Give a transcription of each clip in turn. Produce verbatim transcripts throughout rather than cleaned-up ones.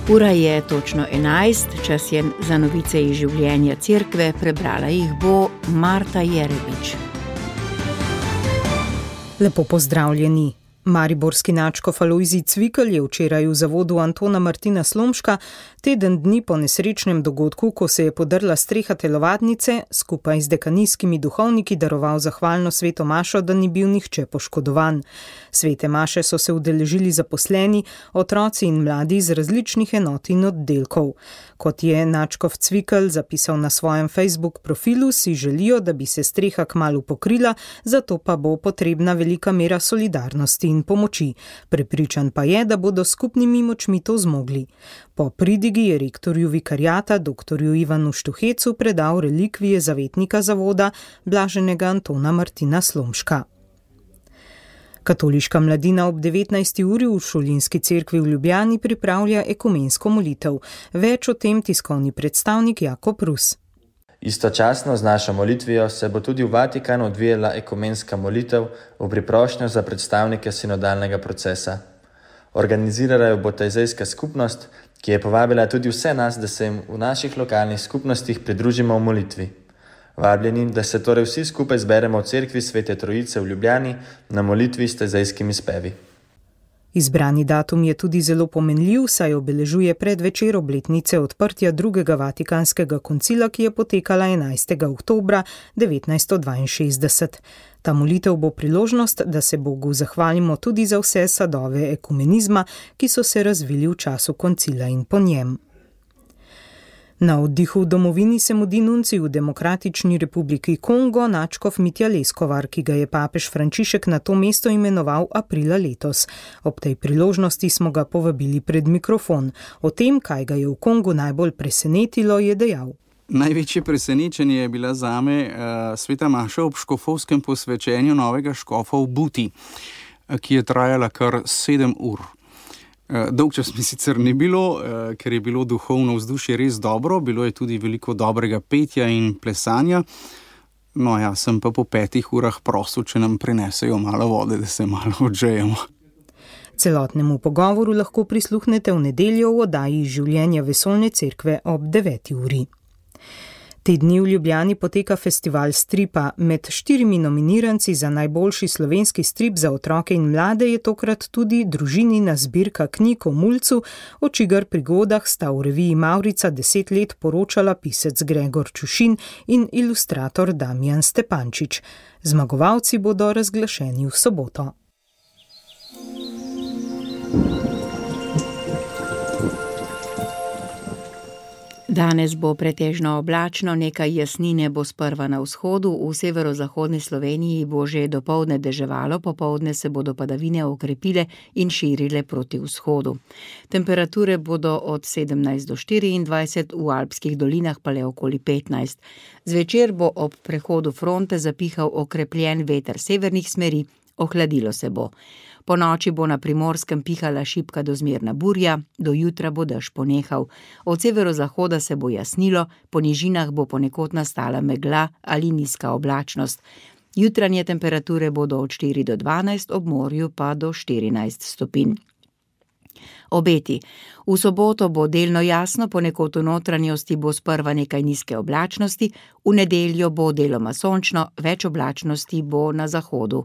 Ura je točno enajst, čas je za novice iz življenja cerkve, prebrala jih bo Marta Jerebič. Lepo pozdravljeni. Mariborski nadškof Alojzij Cvikl je včeraj v zavodu Antona Martina Slomška teden dni po nesrečnem dogodku, ko se je podrla streha telovadnice, skupaj z dekanijskimi duhovniki daroval zahvalno sveto mašo, da ni bil nihče poškodovan. Svete maše so se udeležili zaposleni, otroci in mladi iz različnih enot in oddelkov. Kot je nadškof Cvikl zapisal na svojem Facebook profilu, si želijo, da bi se streha kmalu pokrila, zato pa bo potrebna velika mera solidarnosti in pomoči. Prepričan pa je, da bodo skupnimi močmi to zmogli. Po pridigi je rektorju vikariata doktorju Ivanu Štuhecu predal relikvije zavetnika zavoda blaženega Antona Martina Slomška. Katoliška mladina ob devetnajsti uri v Šulinski cerkvi v Ljubljani pripravlja ekumensko molitev. Več o tem tiskovni predstavnik Jakob Rus. Istočasno z našo molitvijo se bo tudi v Vatikanu odvijala ekumenska molitev v priprošnjo za predstavnike sinodalnega procesa. Organizirala jo bo tajzejska skupnost, ki je povabila tudi vse nas, da se jim v naših lokalnih skupnostih pridružimo v molitvi. Vabljeni, da se torej vsi skupaj zberemo v cerkvi Svete Trojice v Ljubljani na molitvi s tajzejskimi spevi. Izbrani datum je tudi zelo pomenljiv, saj obeležuje predvečer obletnice odprtja drugega vatikanskega koncila, ki je potekala enajstega oktobra devetnajststo dvainšestdeset. Ta molitev bo priložnost, da se Bogu zahvalimo tudi za vse sadove ekumenizma, ki so se razvili v času koncila in po njem. Na oddihu v domovini se mudi nuncij v Demokratični republiki Kongo, nadškof Mitja Leskovar, ki ga je papež Frančišek na to mesto imenoval aprila letos. Ob tej priložnosti smo ga povabili pred mikrofon. O tem, kaj ga je v Kongu najbolj presenetilo, je dejal. Največje presenečenje je bila zame uh, sveta maša ob škofovskem posvečenju novega škofa v Buti, uh, ki je trajala kar sedem ur. Dolg čas mi sicer ni bilo, ker je bilo duhovno vzdušje res dobro, bilo je tudi veliko dobrega petja in plesanja. No ja, sem pa po petih urah prosil, če nam prinesejo malo vode, da se malo odžejemo. Celotnemu pogovoru lahko prisluhnete v nedeljo v oddaji Življenja vesoljne cerkve ob deveti uri. Te dni v Ljubljani poteka festival stripa. Med štirimi nominiranci za najboljši slovenski strip za otroke in mlade je tokrat tudi družinina zbirka knjig o mulcu, o čigar prigodah sta v reviji Mavrica deset let poročala pisec Gregor Čušin in ilustrator Damjan Stepančič. Zmagovalci bodo razglašeni v soboto. Danes bo pretežno oblačno, nekaj jasnine bo sprva na vzhodu, v severozahodni Sloveniji bo že dopoldne deževalo, popoldne se bodo padavine okrepile in širile proti vzhodu. Temperature bodo od sedemnajst do štiriindvajset, v alpskih dolinah pa le okoli petnajst. Zvečer bo ob prehodu fronte zapihal okrepljen veter severnih smeri, ohladilo se bo. Po noči bo na Primorskem pihala šibka do zmerna burja, do jutra bo dež ponehal. Od severozahoda se bo jasnilo, po nižinah bo ponekod nastala megla ali nizka oblačnost. Jutranje temperature bodo od štiri do dvanajst, ob morju pa do štirinajst stopinj. Obeti. V soboto bo delno jasno, ponekod v notranjosti bo sprva nekaj nizke oblačnosti, v nedeljo bo deloma sončno, več oblačnosti bo na zahodu.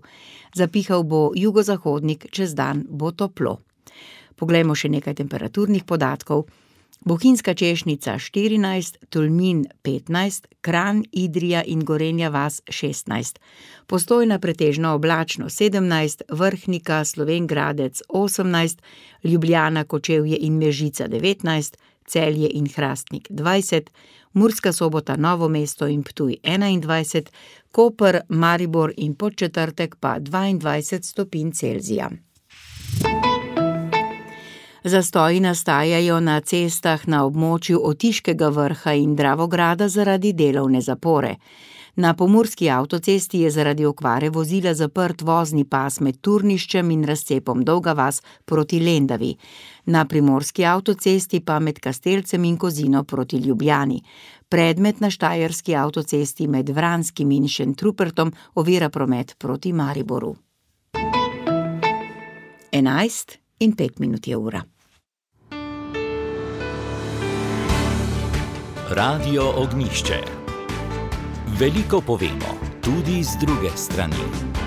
Zapihal bo jugozahodnik, čez dan bo toplo. Poglejmo še nekaj temperaturnih podatkov. Bohinjska Češnica štirinajst, Tolmin petnajst, Kranj, Idrija in Gorenja vas šestnajst. Postojna pretežno oblačno sedemnajst, Vrhnika, Slovenj Gradec osemnajst, Ljubljana, Kočevje in Mežica devetnajst, Celje in Hrastnik dvajset, Murska Sobota, Novo mesto in Ptuj enaindvajset, Koper, Maribor in Podčetrtek pa dvaindvajset stopinj Celzija. Zastoji nastajajo na cestah na območju Otiškega vrha in Dravograda zaradi delovne zapore. Na pomurski avtocesti je zaradi okvare vozila zaprt vozni pas med Turniščem in razcepom Dolga vas proti Lendavi. Na primorski avtocesti pa med Kastelcem in Kozino proti Ljubljani. Predmet na štajerski avtocesti med Vranskim in Šentrupertom ovira promet proti Mariboru. Enajst in pet minut je ura. Radio Ognišče. Veliko povemo, tudi z druge strani.